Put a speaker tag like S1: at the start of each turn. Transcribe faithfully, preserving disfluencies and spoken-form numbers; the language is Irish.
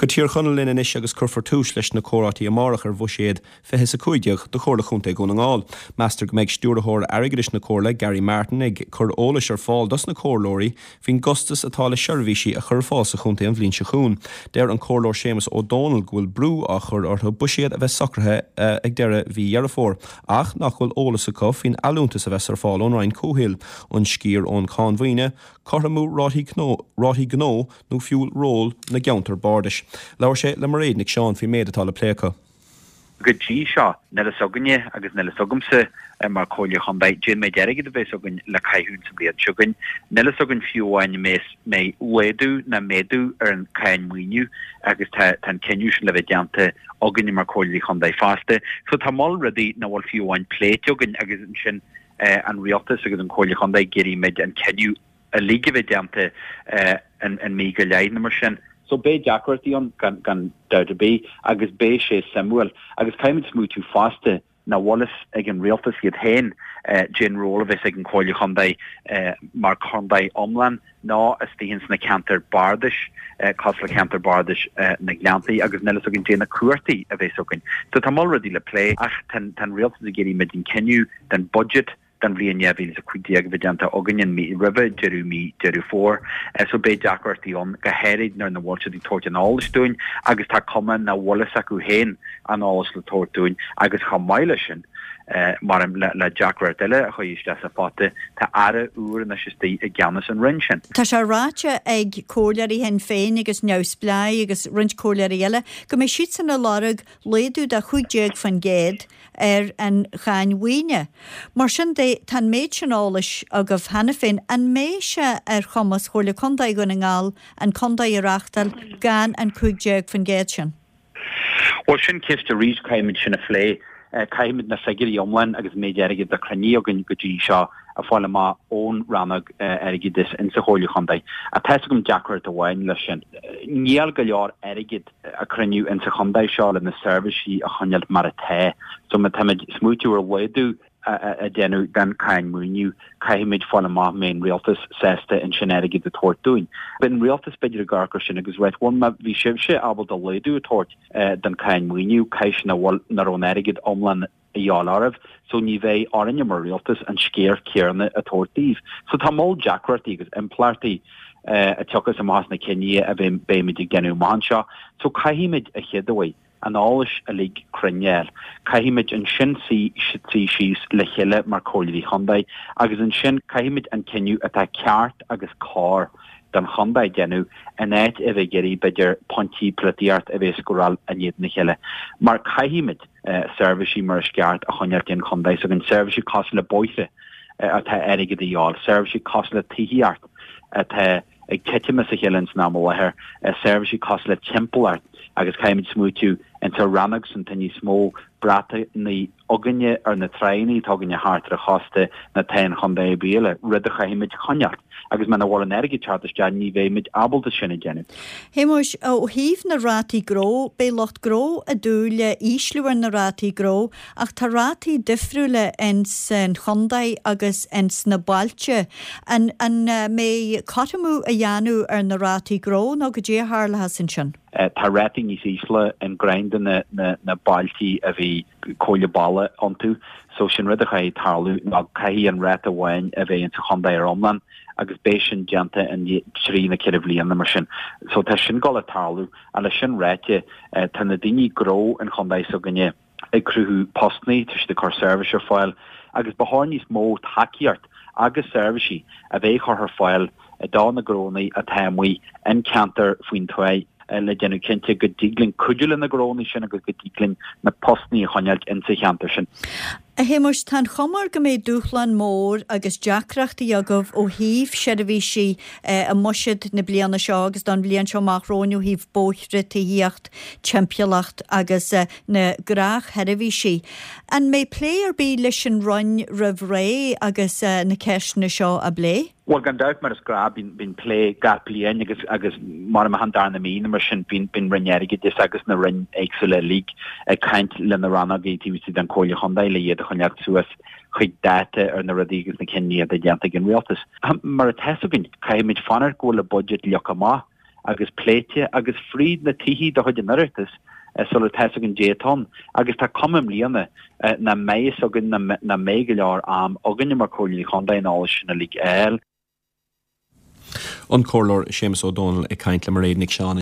S1: Go Tír Chonaill linn anois agus cuirfear tús leis na comhráití amárach ar bhuiséad fiche is a cúig déag do Chomhairle Chontae Dhún na nGall. Meastar go mbeidh stiúrthóir airgeadais na Comhairle Gary Martin ag cur eolais ar fáil dos na comhairleoirí faoin gcostas atá le seirbhísí a chur ar fáil sa chontae an bhliain seo chugainn. Deir an comhairleoir Séamus Ó Dónaill go bhfuil brú á chur orthu buiséad a bheith socraithe uh, ag deireadh mhí Dheireadh Fómhair, ach nach bhfuil eolas acu faoin allúntas a bheas ar fáil ón Roinn Comhshaoil, an sciar ón cháin mhaoine, cothromú rátaí rátaí gnó nó fiú ról na gceantar bardais. Labhair sé le Mairéad Nic Seáin faoin méid atá le plé acu.
S2: Go dtí seo níl a fhios againne agus níl a fhios agamsa mar Chomhairle Chontae cén méid airgid a bheas againn le caitheamh sa bhliain seo chugainn. Níl a fhios againn fiú amháin mbeidh laghdú ná méadú ar an cáin maoiniú agus tá an cinneadh sin le bheith déanta againne mar Chomhairle Chontae fosta. So tá moll rudaí nach bhfuil fiú amháin pléite againn agus ansin an rialtas agus an Chomhairle Chontae ag iarraidh muid an cinneadh uilig a bheith déanta in in mí go leith nó mar sin. So beidh deacrachtaí ann gan gan dabht ar bith agus beidh sé suimiúil agus caithfimid smaoitiú fosta nach bhfuil a fhios ag an rialtas iad féin cén ról a bheas ag an Chomhairle Chontae mar chontae iomlán ná istigh ins na ceantair bardais cosúil le ceantar bardais na Gleanntaí agus níl a fhios againn cé na cumhachtaí a bheas againn. So tá moll rudaí le plé ach tá an rialtas ag iarraidh muid an cinneadh den budget don bhliain dhá mhíle is a cúig déag a bheith déanta againn an mí roimhe deireadh mí Deireadh Fómhair. So beidh deacrachtaí ann go háirid nuair nach bhfuil siad ag tabhairt an eolais dúinn agus tá cuma nach bhfuil fhios acu féin an eolas le tabhairt dúinn agus chomh maith leis sin mar le, le deacracht eile a chuir isteach sa phota tá aire úr anois istigh i gceannas an roinn sin.
S3: Tá sé ráite ag comhairleoirí Shinn Féin agus Neamhspleáigh agus roinnt comhairleoirí eile go mbeidh siadsan ag lorg laghdú de chúig déag faoin gcéad ar an cháin mhaoine. Mar sin de tá an méid sin eolais agaibh cheana féin an mbeidh sé ar chumas Chomhairle Contae Dhún na nGall an contae a reáchtáil gan an cúig déag faoin gcéad sin.
S2: Well sin ceist arís caithfimid sin a phlé. Caithfimid na figiúirí iomlán agus méid airgid a cruinníodh againn go dtí seo a fáil amach ón rannóg airgeadais insa Chomhairle Chontae. Ach tá agam deacracht amháin leis sin. Níl go leor airgid a cruinniú insa chontae seo le na seirbhísí a choinneáil mar atá. So má táimid smaoitiú ar laghdú a déanamh den cáin maoiniú, caithfimid fáil amach mbeidh an rialtas sásta ansin airgead a tabhairt dúinn. Beidh an rialtas b'fhéidir ag amharc air sin agus rá bhuel má bhí sibhse ábalta laghdú a tabhairt den cáin maoiniú, caithfidh sé nach bhfuil nach raibh an airgead iomlán a dhíobháil oraibh, so ní bheidh orainne mar rialtas an sciar céanna a tabhairt daoibh. So tá moll deacrachtaí agus impleachtaí a tiocfas amach as na cinní a bheimid ag déanamh amach anseo. So caithfimid a chéaduair an eolas uilig cruinn a fháil. Caithfimid ansin suí síos le chéile mar Chomhairleoirí Chontae agus ansin caithfimid an cinneadh atá ceart agus cóir don chontae déanamh in áit a bheith ag iarraidh b'fhéidir pointí polaitíocht a bheith ag scóráil in éadan a chéile. Mar caithfimid seirbhísí mar is ceart a choinneáil don chontae s'againn, seirbhísí cosúil le bóithre atá airgead a dhíobháil, seirbhísí cosúil le tithíocht atá ag titim as a chéile ins an am i láthair, seirbhísí cosúil le timpeallacht agus caithfimid smaoitiú insa rannóg san tá níos mó brataí againne ar na tráigheanna atá againne thart ar an chósta ná tá aon chontae ar bith eile, rud a chaithfimid choinneáil agus muna bhfuil an airgead teacht isteach ní bheimid ábalta sin a dhéanamh.
S3: Shéamuis, ó thaobh na rátaí gnó, beidh lucht gnó ag dúil le ísliú ar na rátaí gnó ach tá rátaí difriúla ins an chontae agus ins na bailte. An an mbeidh cothromú á dhéanamh ar na rátaí gnó nó goidé a tharlóchas ansin?
S2: Tá rátaí níos ísle in roinnt de na, na, na bailtí a bhí comhairle baile iontu, so sin rud a chaithfidh tarlú ná caithfidh an ráta amháin a bheith insa chontae ar iomlán agus beidh sin déanta in trí nó ceithre bhliana mar sin. So tá sin ag gabháil a tarlú a leis sin ráite tá na daoine gnó an chontae s'againne ag cruthú postanna, tá siad ag cur seirbhís ar fáil agus ba chóir níos mó tacaíocht agus seirbhísí a bheith curtha ar fáil do na gnónna atá amuigh in ceantar faoin tuath le déanamh cinnte go dtig linn cuidiú le na gnónna sin agus go dtig linn na postanna a choinneáil insa cheantar sin.
S3: A Shéamuis, tá an chuma go mbeidh dúshlán mór agus deacrachtaí agaibh ó thaobh seirbhísí i mbuiséad na bliana seo agus don bhliain seo amach romhainn ó thaobh bóithre, tithíocht, timpeallacht agus na gnáthsheirbhísí. An mbeidh plé ar bith leis an Roinn roimh ré agus na ceisteanna seo á bplé?
S2: Well gan dabht mar is gnáth bíonn bíonn plé gach bliain agus agus mar a an darna mí mar sin bíonn bíonn Roinn Airgeadais agus na roinn éagsúla uilig ag caint le na rannógaí taobh istigh den Chomhairle Chontae le iad a choinneáil suas chuig dáta ar na rudaí agus na cinní atá déanta ag an rialtas. Mar atá againn caithfimid fanacht go bhfuil an budget leagtha amach agus pléite agus fríd na tithe de chuid an Oireachtais sular tá fhios againn caidé atá ann. Agus tá cuma i mbliana nach mbeidh fhios againn nach mbeidh go leor am againne mar Chomhairleoirí Chontae an eolas sin uilig a fháil.
S1: An Comhairleoir Séamus Ó Dónaill ag caint le Mairéad Nic Seáin.